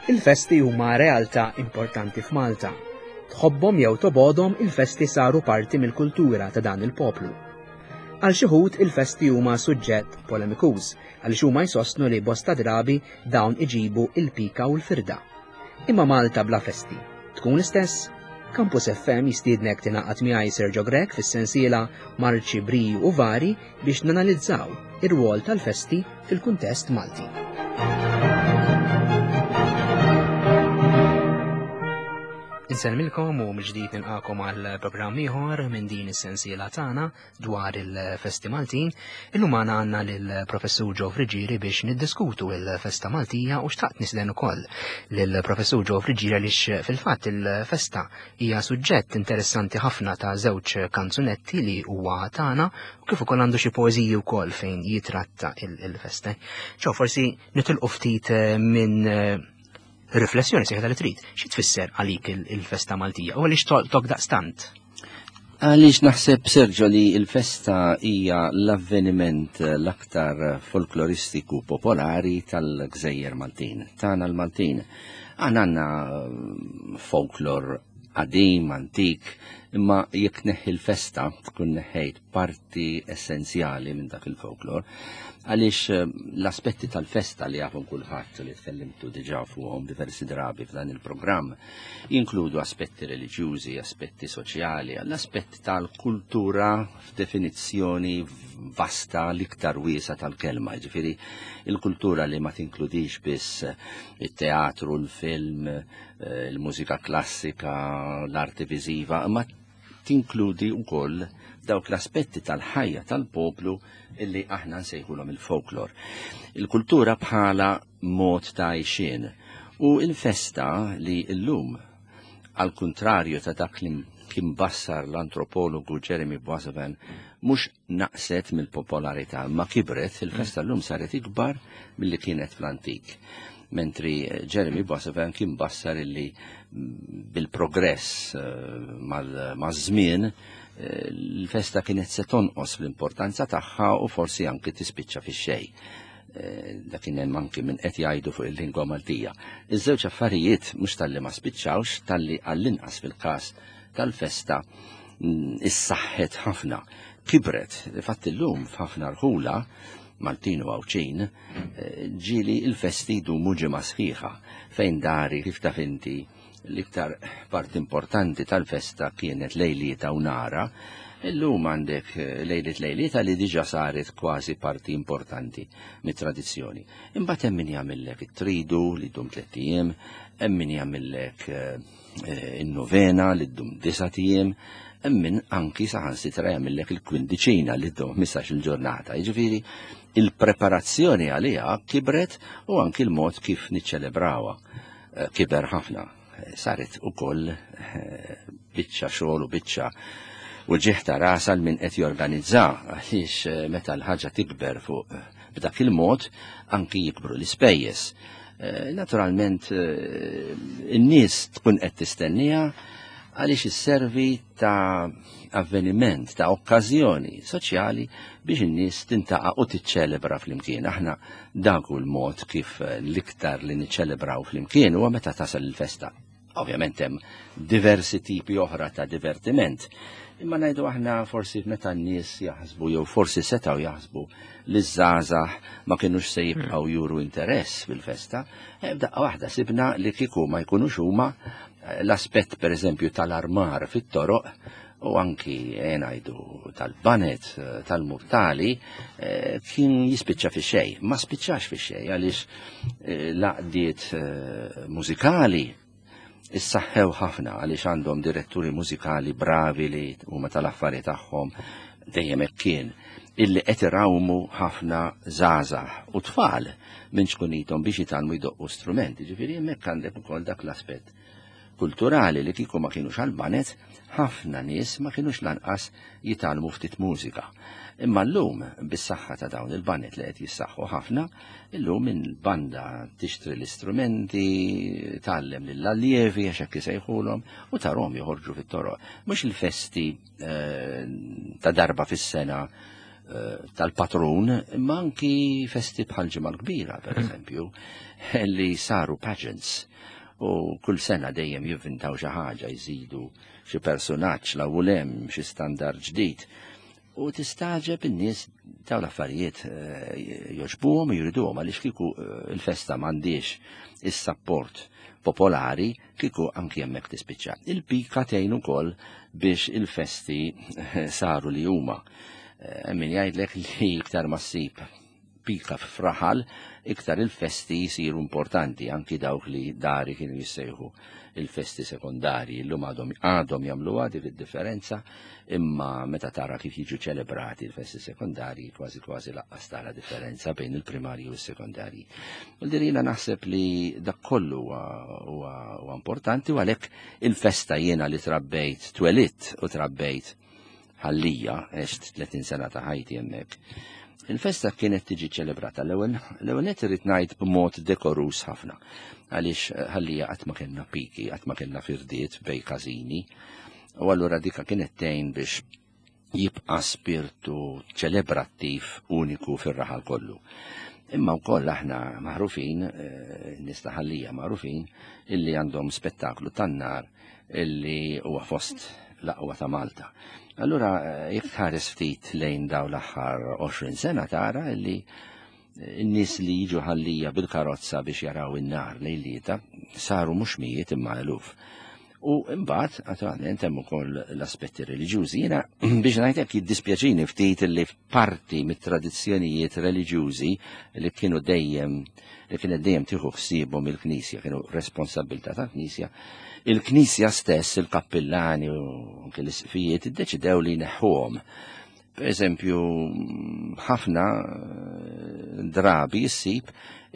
Il-festi huma realtà importanti f'Malta. Tħobbhom jew tobgħodhom il-festi saru parti mill-kultura ta' dan il-poplu. Għal xi wħud il-festi huma suġġett polemikuż għaliex huma jsostnu li bosta drabi dawn iġibu il-pika u l-firda. Imma Malta bla festi tkun l-istess? Campus FM jistiednek tingħaqad miegħi Sergio Grech fis-sensiela Marċi Briju u Vari biex nanalizzaw ir-rwol tal-festi fil-kuntest Malti. Insellmilkom u mill-ġdid nilqakom għal programm ieħor minn din is-sensiela tagħna dwar il-festi Maltin. Illum għandna għandna lill-Professur Joe Friggieri biex niddiskutu il-festa Maltija u xtaqt nisden ukoll lill-Professur Joe Friggieri għaliex fil-fatt il-festa hija suġġett interessanti ħafna ta' żewġ kanzunetti li huwa tagħna u kif ukoll għandu xi poeżiji wkoll fejn jitratta il-festa. Ġo forsi nitilqu ftit eh, minn eh, riflessjoni seħta li trid. Xi tfisser għalik il-festa Maltija u għaliex tolqtok daqstant? Għaliex naħseb Sergio li il-festa hija l-avveniment l-aktar folkloristiku popolari tal-Gżejjer Maltin, tagħna l-Maltin. Aħna għandna mm, folklor qadim, antik, imma jekk neħħi l-festa tkun neħħejt parti essenzjali minn dak il-folklor, għaliex eh, l-aspetti tal-festa li jafhom kulħadd li tkellimtu diġà fuqhom diversi drabi f'dan il-programm jinkludu aspetti reliġjużi, aspetti soċjali, l-aspetti tal-kultura f'definizzjoni vasta l-iktar wiesa tal-kelma, ġifieri il-kultura li ma tinkludix biss it-teatru, l-film, eh, il-mużika klassika, l-arti viżiva, imma tinkludi wkoll dawk l-aspetti tal-ħajja tal-poplu illi aħna nsejħulhom il-folklor. Il-kultura bħala mod ta' għajxien u il-festa li llum għal kuntrarju ta' dak li kien bassar l-antropologu Jeremy Boissevain mhux naqset mill-popolarità ma kibret, il-festa llum saret ikbar milli kienet fl-antik. Mentri eh, Jeremy Boissevain kien bassar illi mm, bil-progress eh, maż-żmien eh, l-festa kienet se tonqos fl-importanza tagħha u forsi anki tispiċċa fix-xejn. Dak kien hemm anki minn qed jgħidu fuq il-lingwa Maltija. Iż-żewġ affarijiet mhux talli ma spiċċawx, talli għall-inqas fil-każ tal-festa mm, issaħħet ħafna. Kibret, fatt illum f'ħafna rħula Maltin u Għawdxin, eh, ġieli il-festi jdumu ġimgħa sħiħa fejn dari kif taf inti l-iktar parti importanti tal-festa kienet lejlieta u nara, illum għandek eh, lejliet lejlieta li diġa saret kważi parti importanti mit-tradizzjoni. Imbagħad hemm min jagħmillek it-tridu li ddum tliet ijiem, hemm min jagħmillek eh, eh, in-novena li ddum disa' ijiem, hemm min anki saħansitra jagħmillek il-kwindiċina li ddum 15 il-ġurnata. Jiġifieri il-preparazzjoni għaliha kibret u anki l-mod kif niċċelebrawha. Eh, kiber ħafna. Eh, saret ukoll eh, biċċa xogħol u biċċa u ġieħ ta' ras għal min qed jorganizza għaliex meta l-ħaġa tikber fuq b'dak il-mod anki jikbru l-ispejjeż. Naturalment in-nies tkun qed tistennija għaliex isservi ta' avveniment, ta' okkażjoni soċjali biex in-nies tintaqa' u tiċċelebra flimkien. Aħna dak hu l-mod kif l-iktar li niċċelebraw flimkien huwa meta tasal il-festa. Ovvjament hemm diversi tipi oħra ta' divertiment. Imma ngħidu aħna forsi meta n-nies jaħsbu jew forsi setgħu jaħsbu li ż-żgħażagħ ma kinux se jibqgħu juru interess fil-festa, eh, f'daqqa waħda sibna li kieku ma jkunux huma L-aspett pereżempju tal-armar fit-toroq u anki eh, ngħidu tal-banet eh, tal-murtali eh, kien jispiċċa fi xej. Ma spiċċax fi xej għaliex l-għaqdiet mużikali issaħħew ħafna għaliex għandhom diretturi mużikali bravi li huma tal-affari tagħhom dejjem hekk kien illi qed irawmu ħafna żgħażagħ u tfal minn ċkunithom biex jitgħallmu jdoqqu strumenti. Ġifieri hemmhekk għandek ukoll dak l-aspett kulturali li kieku ma kienux għall-banet, ħafna nies ma kienux lanqas jitgħallmu ftit mużika. Imma llum, bis-saħħa ta' dawn il-banet li qed jissaħħu ħafna, illum il-banda tixtri l-istrumenti, tgħallem lill-allievi għax hekk isejħulhom u tarhom joħorġu fit-toroq. Mhux il-festi eh, ta' darba fis-sena tal-patrun, imma anki festi bħal Ġimgħa l-Kbira, per eżempju, li saru pageants u kull sena dejjem jivvintaw xi ħaġa, jżidu xi personaġġ la hemm xi standard ġdid. U tistaġeb in-nies dawn l-affarijiet jogħġbuhom u jriduhom għaliex kieku il-festa m'għandix is-sapport popolari kieku anki hemmhekk tispiċċa. Il-pika tgħin ukoll biex il-festi saru li huma. Min jgħidlek li iktar ma ssib pika f'raħal, iktar il-festi jisiru importanti, anki dawk li dari kienu jissejħu il-festi sekondarji, illum għadhom jagħmluha dik id-differenza, imma meta tara kif jiġu ċelebrati il-festi sekondarji, kważi kważi laqqas tara differenza bejn il-primarji u s-sekondarji. U dirina naħseb li dak kollu huwa importanti u għalhekk il-festa jiena li trabbejt, twelidt u trabbejt Ħal Lija, għext 30 sena ta' ħajti hemmhekk. Il-festa kienet tiġi ċelebrata l-ewwel l-ewwel nett irrid ngħid b'mod dekorus ħafna. Għaliex Ħal Lija qatt ma kellna piki, qatt ma kellna firdiet bej każini. U allura dika kienet tgħin biex jibqa' spirtu ċelebrattiv uniku fir-raħal kollu. Imma wkoll aħna magħrufin, nies ta' Ħal Lija magħrufin, illi għandhom spettaklu tan-nar illi huwa fost l-aqwa ta' Malta. Allura jekk tħares ftit lejn daw l-aħħar 20 sena tara illi n-nies li jiġu Ħal Lija bil-karozza biex jaraw in-nar lejlieta saru mhux mijiet imma eluf. U imbagħad naturalment hemm ukoll l-aspetti reliġjużi. Jiena biex ngħidlek jiddispjaċini ftit li parti mit-tradizzjonijiet reliġjużi li kienu dejjem li kienet dejjem tieħu ħsiebhom il-Knisja, kienu responsabilità tal-Knisja, il-Knisja stess, il-kappillani u anke l-isqfijiet iddeċidew li jneħħuhom. Per eżempju, ħafna drabi ssib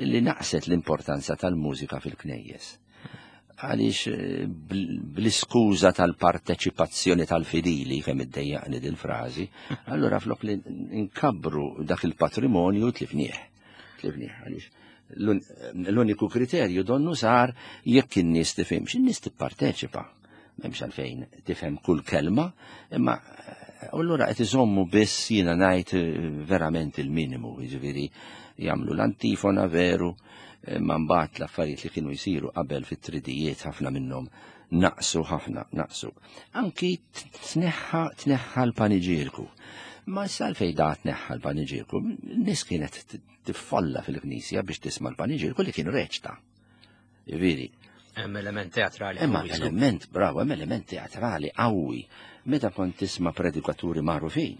li naqset l-importanza tal-mużika fil-knejjes. Għaliex bl-iskuża tal-parteċipazzjoni tal-fidili, kemm iddejjaqni dil-frażi, allura flok li nkabbru dak il-patrimonju tlifnieh. Tlifnieh għaliex l-uniku kriterju donnu sar jekk in-nies tifhimx, in-nies tipparteċipa. M'hemmx għalfejn tifhem kull kelma, imma allura qed iżommu biss jiena ngħid verament il-minimu, jiġifieri jagħmlu l-antifona veru, imma mbagħad l-affarijiet li kienu jsiru qabel fit-tridijiet ħafna minnhom naqsu ħafna, naqsu. Anki tneħħa tneħħa l-paniġierku. Ma issa għalfejn da tneħħa l-paniġierku, nies kienet tiffolla fil-knisja biex tisma' l-paniġierku li kienu reċta. Jiġifieri. Hemm element teatrali. Hemm element, bravo, hemm element teatrali qawwi. Meta kont tisma' predikaturi magħrufin,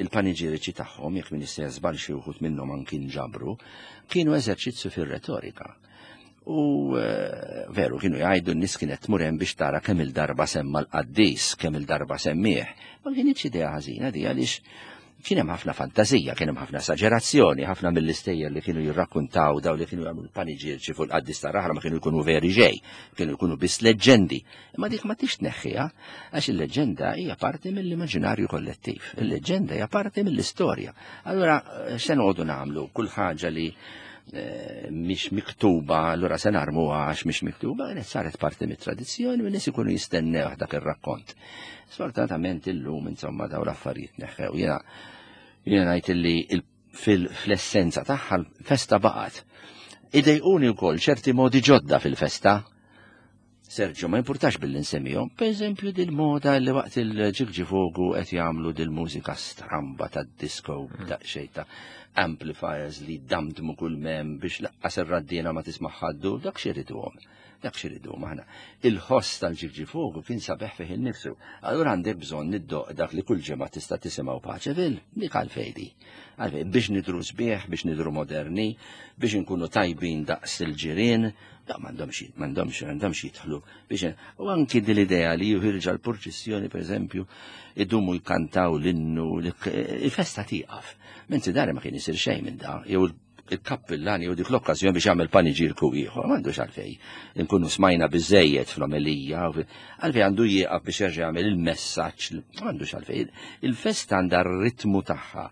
il-paniġiriċi tagħhom, jekk min jista' żball xi wħud minnhom anki nġabru, kienu eżerċizzju fir-retorika. U veru kienu jgħidu n-nies kienet tmur hemm biex tara kemm il-darba semma l-qaddis, kemm il-darba semmih. Ma kienx idea ħażina di għaliex kien hemm ħafna fantazija, kien hemm ħafna esaġerazzjoni, ħafna mill-istejjer li kienu jirrakkuntaw daw li kienu jagħmlu l-paniġierċi fuq il-qaddis tar-raħla ma kienu jkunu veri ġej, kienu jkunu biss leġġendi. Imma dik ma tix tneħħiha għax il-leġġenda hija parti mill-immaġinarju kollettiv, il-leġġenda hija parti mill-istorja. Allura x'se noqogħdu nagħmlu kull ħaġa li mhix miktuba, allura se narmuha għax mhix miktuba, kienet saret parti mit-tradizzjoni u n-nies ikunu jistennew dak ir-rakkont. Sfortunatament illum insomma daw l-affarijiet neħħew. Jiena jiena ngħid li fl-essenza tagħha l-festa baqgħet. Idejquni wkoll ċerti modi ġodda fil-festa. Sergio, ma jimpurtax billi nsemmihom, per eżempju dil-moda li waqt il-ġigġifogu qed jagħmlu dil-mużika stramba tad-disco daqsxejn ta' amplifiers li damdmu kull mem biex laqqas ir-raddiena ma tisma' ħaddu, dak xiriduhom. Dak xiriduhom aħna. Il-ħoss tal-ġigġifogu kien sabiħ fih innifsu. Allura għandek bżonn niddoq dak li kull ġimgħa tista' tisimgħu Paċeville, dik għalfejdi. Għalfejn biex nidru sbieħ, biex nidru moderni, biex inkunu tajbin daqs il-ġirien, da m'għandhomx m'għandhomx m'għandhomx jidħlu biex u anki din l-idea li juħirġa l-purċissjoni pereżempju idumu jkantaw l-innu il-festa tieqaf. Mentri dari ma kien isir xejn minn da, jew il-kappillan jew dik l-okkażjoni biex jagħmel paniġirku ieħor, m'għandux għalfejn. Inkunu smajna biżejjed fl-omelija, għalfejn għandu jieqaf biex jerġa' jagħmel il-messaġġ, m'għandux għalfejn. Il-festa għandha r-ritmu tagħha.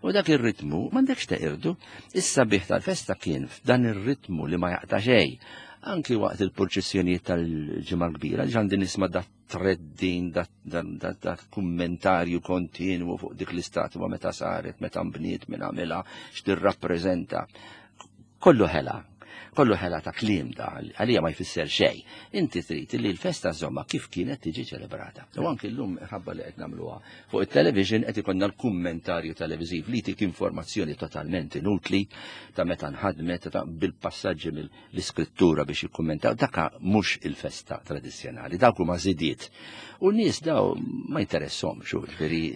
U dak ir-ritmu m'għandekx teqirdu. Is-sabiħ tal-festa kien f'dan ir-ritmu li ma jaqta' xejn. Anki waqt il-purċissjonijiet tal-Ġimgħa l-Kbira, ġandi nisma' dat treddin, dat kummentarju kontinwu fuq dik l-istatwa meta saret, meta nbniet, minn għamilha, x'tirrappreżenta. Kollu ħela, kollu ħela ta' kliem da, għalija ma jfisser xejn. Inti trid li l-festa żomma kif kienet tiġi ċelebrata. U anki llum ħabba li qed nagħmluha fuq it-television qed ikollna l-kummentarju televiżiv li jtik informazzjoni totalment inutli ta' meta nħadmet ta' bil-passaġġi mill-iskrittura biex jikkummentaw. Daka mhux il-festa tradizzjonali, dawk huma żidiet. U n-nies daw ma jinteressahomx, ġifieri.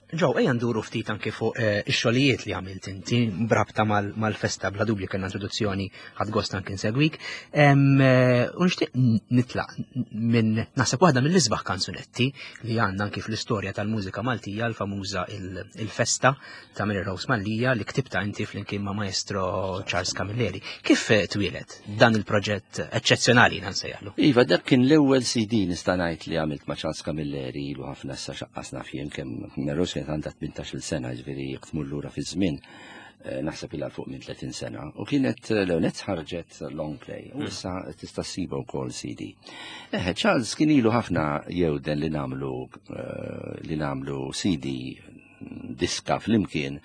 Joe, ejja nduru ftit anki fuq ix-xogħlijiet li għamilt inti brabta mal-festa, bla dubju kellna introduzzjoni, ħadt gost anki nsegwik. U nixtieq nitlaq minn naħseb waħda mill-isbaħ kanzunetti li għandna anki fl-istorja tal-mużika Maltija, l-famuża il-Festa ta' Mary Rose Mallia li ktibta inti flimkien ma' Maestro Charles Camilleri. Kif twieled dan il-proġett eċċezzjonali nsejjaħlu? Iva, dak kien l-ewwel CD nista' ngħid li għamilt ma' Charles Camilleri ilu ħafna issa, xaqqas naf jien kemm. Mary Rose kienet għandha 18-il sena, ġifieri jekk tmur lura fiż-żmien naħseb ilha fuq minn 30 sena. U kienet l-ewwel ħarġet long play u issa tista' ssiba wkoll CD. Eħe, Charles kien ilu ħafna jewden li nagħmlu CD, diska flimkien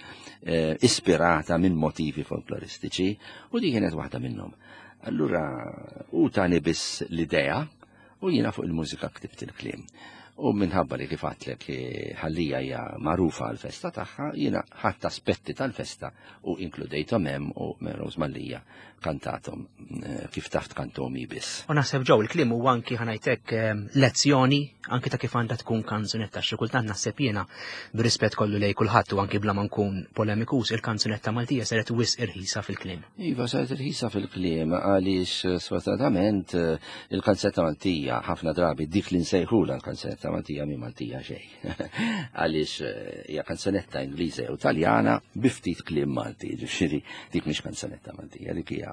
ispirata minn motivi folkloristiċi u di kienet waħda minnhom. Allura u tani biss l-idea u jiena fuq il-mużika ktibt il-kliem. U minħabba li kif għedtlek Ħal Lija hija magħrufa għal-festa tagħha, jiena ħadt aspetti tal-festa u inkludejthom hemm u Rose Mallia kantathom kif taf tkantom biss. U naħseb, Joe, il-kliem huwa anki, ħa ngħidlek, lezzjoni anki ta' kif għandha tkun kanzunetta. Xi kultant naħseb jiena, b'rispett kollu lej kulħadd u anki bla ma nkun polemikus, il-kanzunetta Maltija saret wisq irħisa fil-kliem. Iva, saret irħisa fil-kliem għaliex sfortunatament il-kanzunetta Maltija ħafna drabi dik li nsejħula l-kanzunetta Maltija mi Maltija xejn. Għaliex hija kanzunetta Ingliża u Taljana bi ftit kliem Malti, ġifieri dik mhix kanzunetta Maltija, dik hija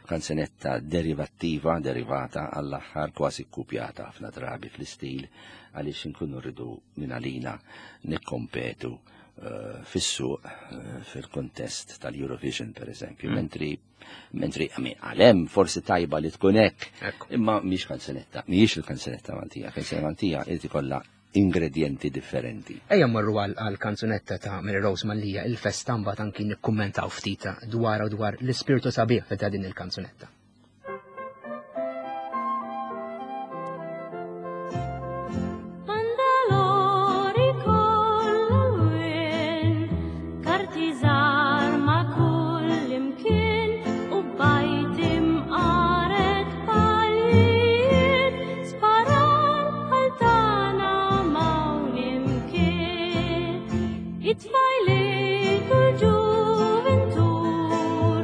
kanzunetta derivattiva, derivata għall-aħħar, kważi kkupjata ħafna drabi fl-istil għaliex inkunu rridu minn għalina nikkompetu fis-suq fil-kontest tal-Eurovision per eżempju, mentri għalem forsi tajba li tkun hekk, imma mhix kanzunetta, mhijiex il-kanzunetta Maltija, kanzunetta Maltija irid ikollha ingredienti differenti. Ejja mmorru għal kanzunetta ta' Mary Rose Mallia, il-Festa, mbagħad anki nikkummentaw ftit dwar u dwar l-ispirtu sabiħ ta' din il-kanzunetta. Bandalori kollha, karti żgħar ma' kull imkien u bajt imqaret palijiet sparar bħal tagħna m'hawn imkien. It-tfajliet u l-ġuventur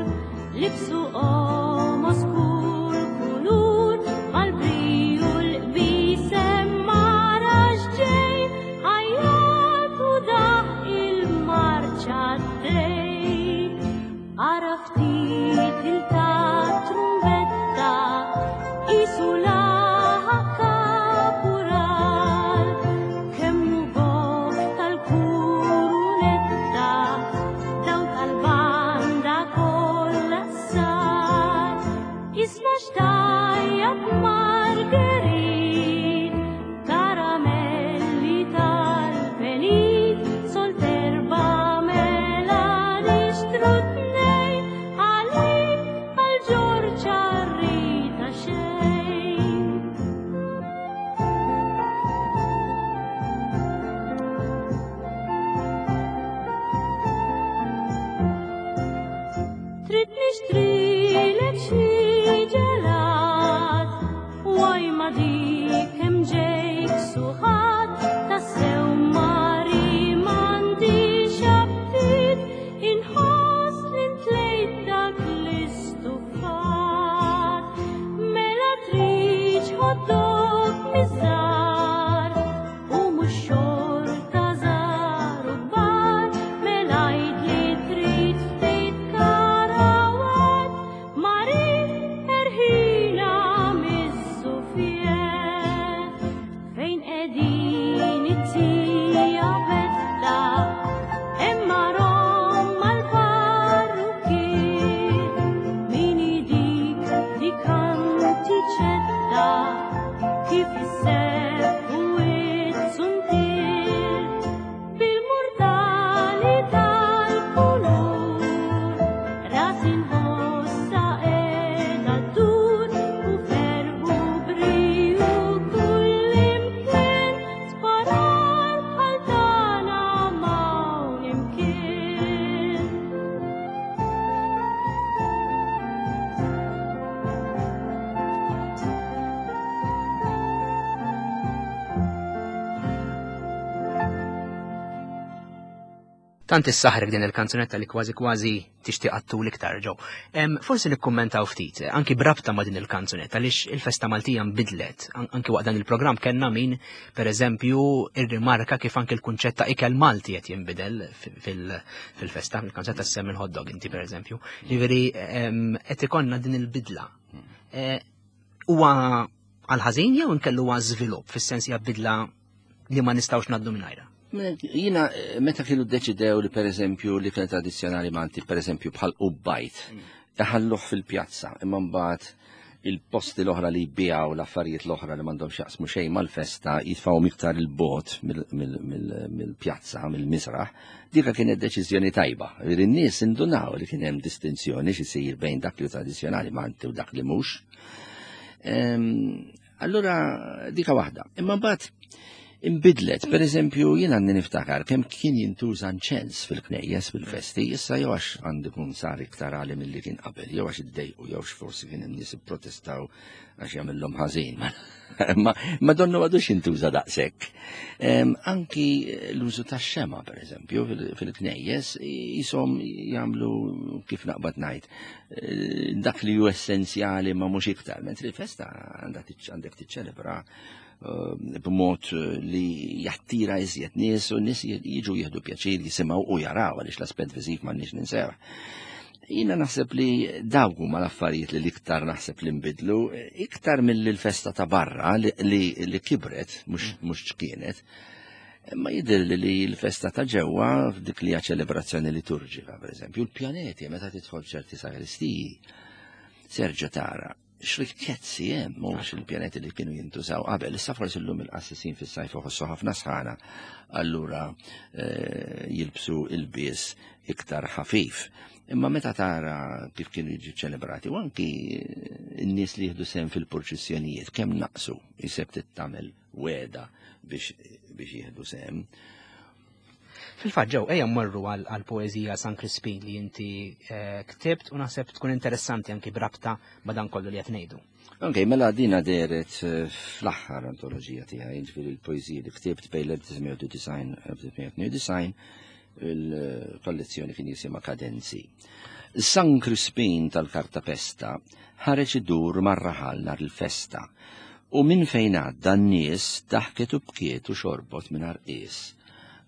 libsu qomos kull kulur mal-briju l-qbisem mara x'ġej ħajjat u daħ il-marċa dej. Ara ftit il-ta' trumbetta isu laħa kapural kemm hu goff tal-kurunetta daw tal-banda kollha sar. Isma' xtajjat Marguerite, karamelli tal-penit, solterba mela nixtru tnejn għalik. Tant issaħrek din il-kanzunetta li kważi kważi tixtieq għattul iktar ġew. Forsi nikkummentaw ftit, anki brabta ma' din il-kanzunetta għaliex il-festa Maltija nbidlet. Anki waqt dan il-programm kellna min, pereżempju, irrimarka kif anki l-kunċett ta' ikel Malti qed jinbidel fil-festa, il-kanzunetta semmi l-hot dog inti pereżempju. Jiġifieri qed ikollna din il-bidla. Eh, huwa għal-ħażin jew inkellu huwa żvilupp fis-sens hija bidla li ma nistgħux ngħaddu mingħajrha? Jina, eh, meta kienu ddeċidew li per eżempju li kien tradizzjonali Malti, per eżempju bħal ubbajt, iħalluh fil-pjazza, imma mbagħad il-posti l-oħra li jbijaw l-affarijiet l-oħra li m'għandhom x'jaqsmu xejn mal-festa jitfgħu iktar il-bot mill-pjazza, mill-misraħ, dika kienet deċiżjoni tajba. In-nies indunaw li kien hemm distinzjoni x'isir bejn dak li tradizzjonali Malti u dak li mhux. Allura dika waħda. Imma mbagħad imbidlet, per eżempju, jien għandi niftakar kemm kien jintuża nċens fil-knejjes fil-festi, issa jew għax għandu kun sar iktar għali milli kien qabel, jew għax iddejqu, jew forsi kien hemm nies ipprotestaw għax jagħmilhom ħażin. Ma, ma donnu għadux jintuża daqshekk. Anki l-użu tax-xema, per eżempju, fil-knejjes, jisom jagħmlu kif naqbad ngħid Eh, dak li ju essenzjali ma mhux iktar, mentri l-festa għandek tiċċelebra eh, b'mod eh, li jattira iżjed nies u nies jiġu jieħdu pjaċir jisimgħu u jaraw għaliex l-aspett viżiv m'għandniex ninsew. Jiena naħseb li dawk huma l-affarijiet li l-iktar naħseb li nbidlu, iktar mill festa ta' barra li kibret, mhux ċkienet, Imma jidher li li l-festa ta' ġewwa f'dik li hija ċelebrazzjoni liturġika, pereżempju, l-pjaneti meta tidħol ċerti sagristiji, serġa tara x'rikkezzi hemm mhux il-pjaneti li kienu jintużaw qabel. Issa forsi llum il-qassisin fis-sajf iħossu ħafna sħana, allura eh, jilbsu il-bies iktar ħafif. Imma meta tara kif kienu jiġu ċelebrati, u anki n-nies li jieħdu sehem fil-purċissjonijiet kemm naqsu jiseb tittamel wegħda biex biex jieħdu sehem. Fil-fatt ġew ejja mmorru għal poeżija San Crispin li inti eh, ktibt u naħseb tkun interessanti anki brabta ma' dan kollu li qed ngħidu. Ok, mela dina deret eh, fl-aħħar antoloġija tiegħi, jiġifieri l-poeżija li ktibt bejn l-1999 1992 il-kollezzjoni kien jisimha Kadenzi. San Crispin tal-Kartapesta ħareġ idur mar-raħal nhar il-festa u minn fejn għadda n-nies daħket u bkiet u xorbot mingħajr qies.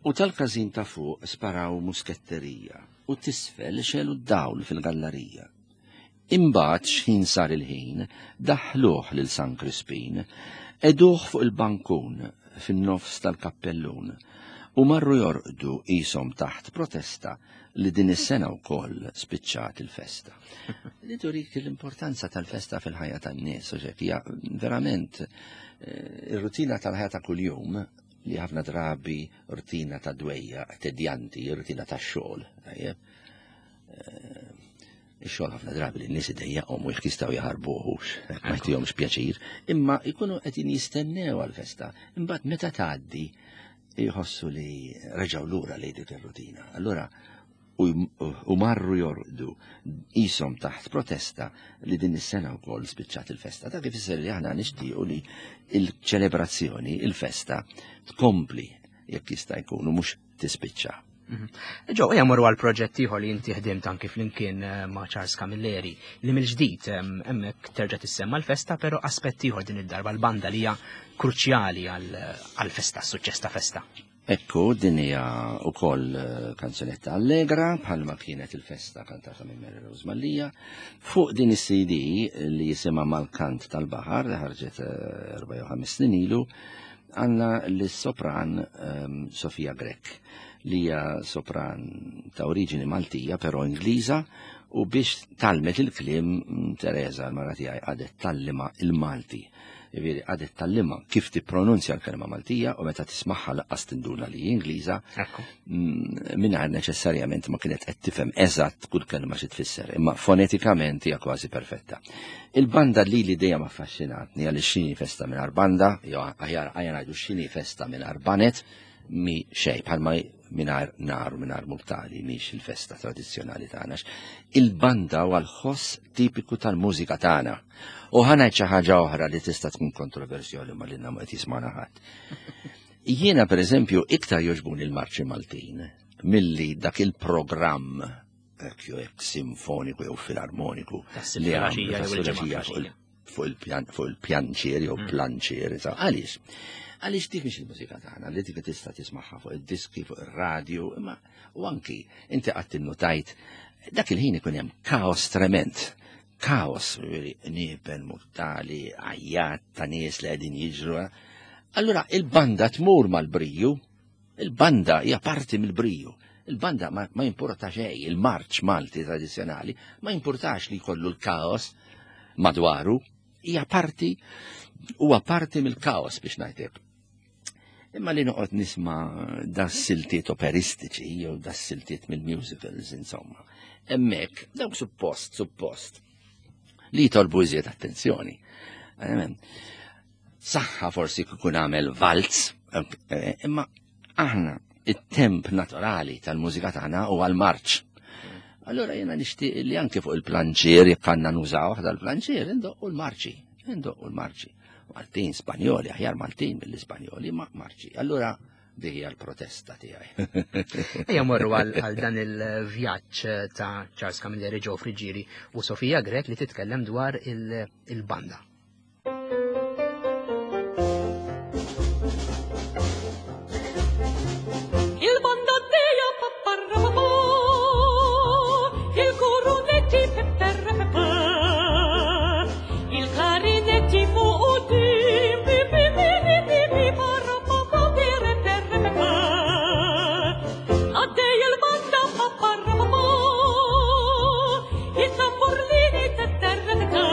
U tal-każin ta' fuq sparaw musketterija u t'isfel xegħlu d-dawl fil-gallarija. Imbagħad x'ħin sar il-ħin, daħħluh lil San Krispin, qegħduh fuq il-bankun fin-nofs tal-kappellun u marru jorqdu qishom taħt protesta li din is-sena wkoll spiċċat il-festa. Li turik l-importanza tal-festa fil-ħajja tan-nies, u hija verament eh, ir-rutina tal-ħajja ta' kuljum li ħafna drabi rutina ta' dwejja, tedjanti, rutina ta' xogħol. Eh, ix-xogħol ħafna drabi li n-nies idejjaqhom u jekk jistgħu jaħarbuhux, ma jtihomx pjaċir, imma jkunu qegħdin jistennew għall-festa. Imbagħad meta tgħaddi jħossu li reġgħu lura lejn dik ir-rutina. Allura u marru jorqdu qishom taħt protesta li din is-sena wkoll spiċċat il-festa. Dak ifisser li aħna nixtiequ li il-ċelebrazzjoni, il-festa tkompli jekk jista' jkun u mhux tispiċċa. Mhm. Ġo, ejja morru għal proġett ieħor li inti ħdimt anki flimkien eh, ma' Charles Camilleri li mill-ġdid hemmhekk terġa' tissemma l-festa, però aspett ieħor din id-darba l-banda li hija kruċjali għal-festa, suċċess ta' festa. Ekku, din hija wkoll eh, kanzunetta allegra bħalma kienet il-festa kantata minn Mary Rose Mallia. Fuq din is-CD li jisimha Mal-Kant tal-Baħar li ħarġet eh, erba' jew ħames snin ilu, għandna lis-sopran ehm, Sofia Grech li hija sopran ta' oriġini Maltija però Ingliża u biex talmet il-kliem mm, Teresa l-mara tiegħi għadet tallima il-Malti. Jiġifieri għadet tallima kif tippronunzja l-kelma Maltija u meta tismagħha laqqas tinduna li Ingliża mm, mingħajr neċessarjament ma kienet qed tifhem eżatt kull kelma xi tfisser, imma fonetikament hija kważi perfetta. Il-banda li li dejjem affaxxinatni għaliex x'inhi festa mingħajr banda, jew aħjar aħjar ngħidu x'inhi festa mingħajr banet, mi xejn bħalma mingħajr nar u mingħajr murtali mhix il-festa tradizzjonali tagħna. Il-banda huwa l-ħoss tipiku tal-mużika tagħna. U ħa ngħid xi ħaġa oħra li tista' tkun kontroversjoli ma lilna ma qed jismagħna ħadd. Jiena pereżempju iktar jogħġbuni l-marċi Maltin. milli dak il-programm hekk simfoniku jew filarmoniku li għamlu fuq il-pjanċier jew planċier. Għaliex? Għaliex dik mhix il-mużika tagħna li dik tista' tismagħha fuq id-diski, fuq ir-radju, imma u anki inti qatt innutajt dak il-ħin ikun hemm kaos trement. Kaos, nipen, mortali, għajjat ta' nies li qegħdin jiġru. Allura il-banda tmur mal-briju, il-banda hija parti mill-briju. Il-banda ma, ma jimporta xejn, il-marċ Malti tradizzjonali ma jimpurtax li jkollu l-kaos madwaru, hija parti huwa parti mill-kaos biex ngħidlek. Imma li noqgħod nisma' das siltiet operistiċi jew das siltiet mill-musicals insomma. Hemmhekk dawk suppost, suppost li jitolbu iżjed attenzjoni. Saħħa forsi kikun għamel valz, imma aħna it-temp naturali tal-mużika tagħna huwa l-marċ. Allora jena nixtieq li anke fuq il-planċier jekk għandna nużaw dal-planċier indoqqu l-marċi, indoqqu l-marċi. Maltin, Spanjoli, aħjar Maltin mill-Ispanjoli, ma marċi. Allura dik hija l-protesta tiegħi. Ejja morru għal dan il-vjaġġ ta' Charles Camilleri, Joe Friggieri u Sofia Grech li titkellem dwar il-banda. Il-banda dea paparapapà, il-kurunetti pepperepepè, il-klarinetti fuq dim, pi pi pi pi pi pi parapapà pereperepepè. Għaddej il-banda paparapapà, il-tamburlini tetterretà.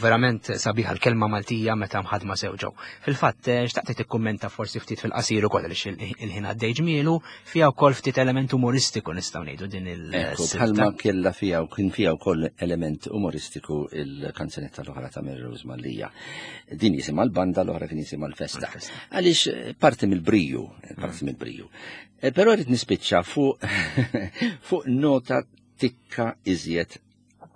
verament sabiħa l-kelma Maltija meta mħadma sew ġew. Fil-fatt, eh, xtaqt tikkummenta forsi ftit fil-qasir ukoll għaliex il-ħin għaddej ġmielu, fiha wkoll ftit element umoristiku nistgħu ngħidu din il Ekku, bħalma kella fiha u kien fiha wkoll element umoristiku il-kanzunetta l-oħra ta' Mary Rose Mallia. Din jisimha l-banda l-oħra kien jisimha l-festa. Għaliex eh, parti mill-briju, parti mm. mill-briju. Eh, però rrid nispiċċa fuq fuq nota tikka iżjed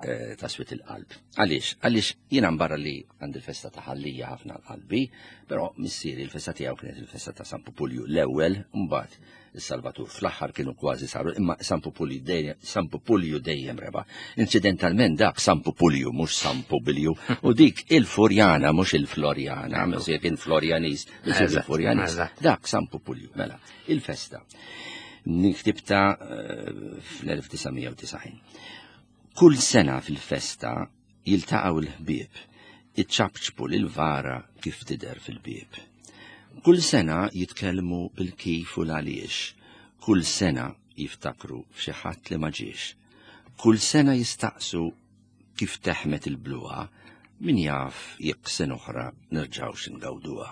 eh, ta' swit il-qalb. Għaliex? Għaliex jiena barra li għandi l-festa ta' ħallija ħafna l-qalbi, però missieri l-festa tiegħu kienet il-festa ta' San Pupulju l-ewwel, mbagħad is-Salvatur fl-aħħar kienu kważi saru, imma San Pupulju dejjem San Pupulju dejjem reba. Incidentalment dak San Pupulju mhux San Pubilju u dik il-Furjana mhux il-Florjana, mhux kien Florjaniż, il-Furjaniż. Dak San Pupulju, mela, il-festa. Niktibta eh, fl-1990. Kull sena fil-festa jiltaqgħu l-ħbieb, iċapċpu lil vara kif tidher fil-bieb. Kull sena jitkellmu bil-kif u l-għaliex, kull sena jiftakru f'xi ħadd li ma ġiex. Kull sena jistaqsu kif teħmet il-bluha, min jaf jekk sena oħra nerġgħux ingawduha.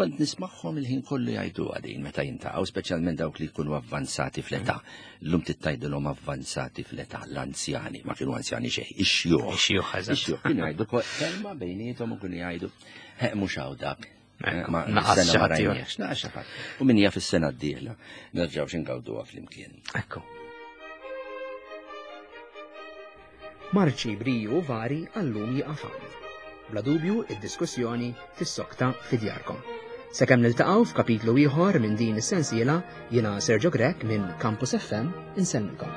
Kont nismagħhom il-ħin kollu jgħiduha din meta jintaqgħu, speċjalment dawk li jkunu avvanzati fl-età. Llum tittajdilhom avvanzati fl-età l-anzjani, ma kienu anzjani xejn, ix-xjuħ. Ix-xjuħ, eżatt. Ix-xjuħ kienu jgħidu kelma bejniethom u kienu jgħidu, mhux hawn dak. Ma naqas xi ħadd Naqas xi ħadd. U min jaf is-sena d-dieħla nerġgħu x'ingawduha flimkien. Ekku. Marċi briju vari għallum jieqaf hawn. Bla dubju id-diskussjoni tissokta fi djarkom. Sakemm niltaqgħu f'kapitlu ieħor minn din is-sensiela, jiena Sergio Grech minn Campus FM insellmilkom.